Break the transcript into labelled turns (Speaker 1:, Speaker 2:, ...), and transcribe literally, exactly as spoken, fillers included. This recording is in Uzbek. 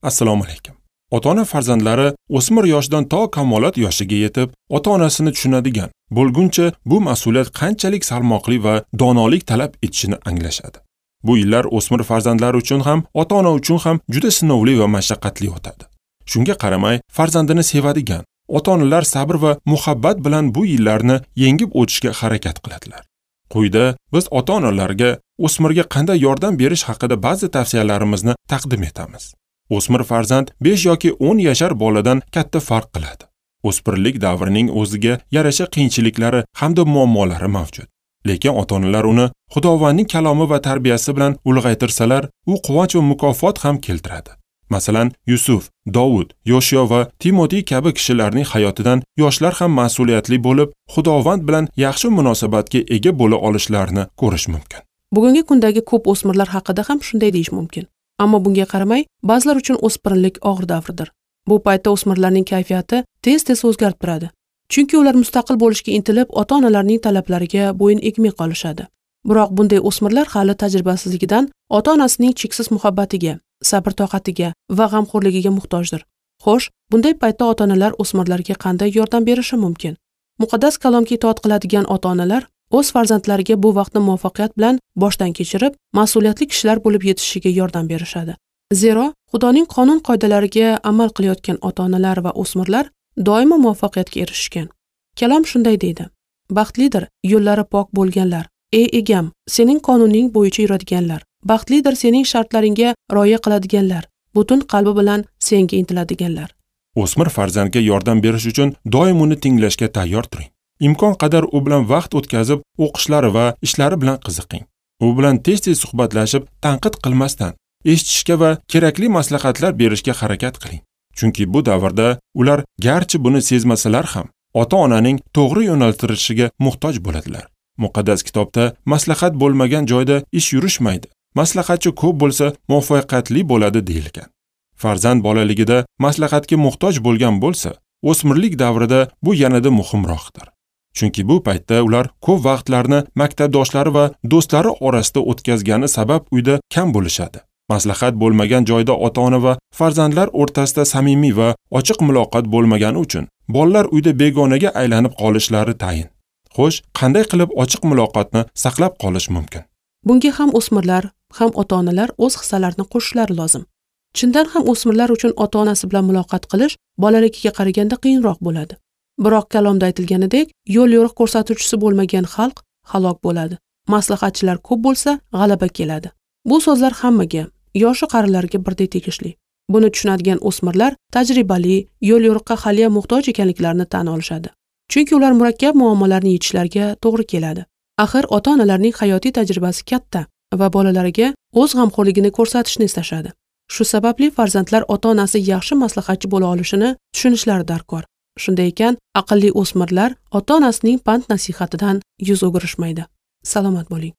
Speaker 1: Assalomu alaykum. Ota-ona farzandlari o'smir yoshidan to kamolot yoshiga yetib, ota-onasini tushunadigan bo'lguncha bu mas'uliyat qanchalik salmoqli va donolik talab etishini anglashadi. Bu yillar o'smir farzandlar uchun ham, ota-ona uchun ham juda sinovli va mashaqqatli o'tadi. Shunga qaramay, farzandini sevadigan ota-onalar sabr va muhabbat bilan bu yillarni yengib o'tishga harakat qiladilar. Quyida biz ota-onalarga o'smirga qanday yordam berish haqida ba'zi tavsiyalarimizni taqdim etamiz. O'smir farzand besh yoki o'n yashar boladan katta farq qiladi. O'smirlik davrining o'ziga yarasha qiyinchiliklari hamda muammolari mavjud. Lekin ota-onalar uni Xudovandning kalomi va tarbiyasi bilan ulg'aytirsalar, u quvonch va mukofot ham keltiradi. Masalan, Yusuf, Dovud, Yoshiyo va Timotey kabi kishilarning hayotidan yoshlar ham mas'uliyatli bo'lib, Xudovand bilan yaxshi munosabatga ega bo'la olishlarini ko'rish mumkin.
Speaker 2: Bugungi kundagi ko'p o'smirlar haqida ham shunday deyish mumkin. Ammo bunga qaramay, ba'zilar uchun o'spirinlik og'ir davrdir. Bu paytda o'smirlarning kayfiyati tez-tez o'zgarib turadi. Chunki ular mustaqil bo'lishga intilib, ota-onalarning talablariga bo'yin egmay qolishadi. Biroq bunday o'smirlar hali tajribasizligidan ota-onasining cheksiz muhabbatiga, sabr-toqatiga va g'amxo'rligiga muhtojdir. Xo'sh, bunday paytda ota-onalar o'smirlarga qanday yordam berishi mumkin? Muqaddas kalomga itoat qiladigan ota-onalar o'z farzandlariga bu vaqtni muvaffaqiyat bilan boshdan kechirib, mas'uliyatli kishilar bo'lib yetishishiga yordam berishadi. Zero, Xudoning qonun-qoidalariga amal qilayotgan ota-onalar va o'smirlar doimo muvaffaqiyatga erishishgan. Kalom shunday deydi: Baxtlidir yo'llari pok bo'lganlar. Ey egam, sening qonuning bo'yicha yuradiganlar. Baxtlidir sening shartlaringga rioya qiladiganlar, butun qalbi bilan senga intiladiganlar.
Speaker 1: O'smir farzandga yordam berish uchun doim uni tinglashga tayyor turing. Imkon qadar u bilan vaqt o'tkazib, o'qishlari va ishlari bilan qiziqing. U bilan tez-tez suhbatlashib, tanqid qilmasdan, eshitishga va kerakli maslahatlar berishga harakat qiling. Chunki bu davrda ular garchi buni sezmasalar ham, ota-onaning to'g'ri yo'naltirishiga muhtoj bo'ladilar. Muqaddas kitobda maslahat bo'lmagan joyda ish yurishmaydi. Maslahatchi ko'p bo'lsa muvaffaqiyatli bo'ladi deyilgan. Farzand bolaligida maslahatga muhtoj bo'lgan bo'lsa, o'smirlik davrida bu yanada muhimroqdir. Chunki bu paytda ular ko'p vaqtlarni maktabdoshlari va do'stlari orasida o'tkazgani sabab uyda kam bo'lishadi. Maslahat bo'lmagan joyda ota-ona va farzandlar o'rtasida samimiy va ochiq muloqot bo'lmagani uchun bolalar uyda begonaga aylanib qolishlari tayin. Xo'sh, qanday qilib ochiq muloqotni saqlab qolish mumkin?
Speaker 2: Bunga ham o'smirlar, ham ota-onalar o'z hissalarini qo'shishlari lozim. Chindan ham o'smirlar uchun ota-onasi bilan muloqot qilish bolaligiga qaraganda qiyinroq bo'ladi. Biroq kalomda aytilganidek, yo'l-yo'riq ko'rsatuvchisi bo'lmagan xalq halok bo'ladi. Maslahatchilar ko'p bo'lsa, g'alaba keladi. Bu so'zlar hammaga, yoshi qarilarga birdek tegishli. Buni tushunadigan o'smirlar tajribali, yo'l-yo'riqqa hali muhtoj ekanliklarini tan olishadi. Chunki ular murakkab muammolarni yechishlariga to'g'ri keladi. Axir ota-onalarning hayotiy tajribasi katta va bolalariga o'z g'amxo'rligini ko'rsatishni istashadi. Shu sababli farzandlar ota-onasi yaxshi maslahatchi bo'la olishini tushunishlari darkor. Shunday ekan, aqlli o'smirlar ota-onasining pand nasihatidan yuz o'girishmaydi. Salomat bo'ling.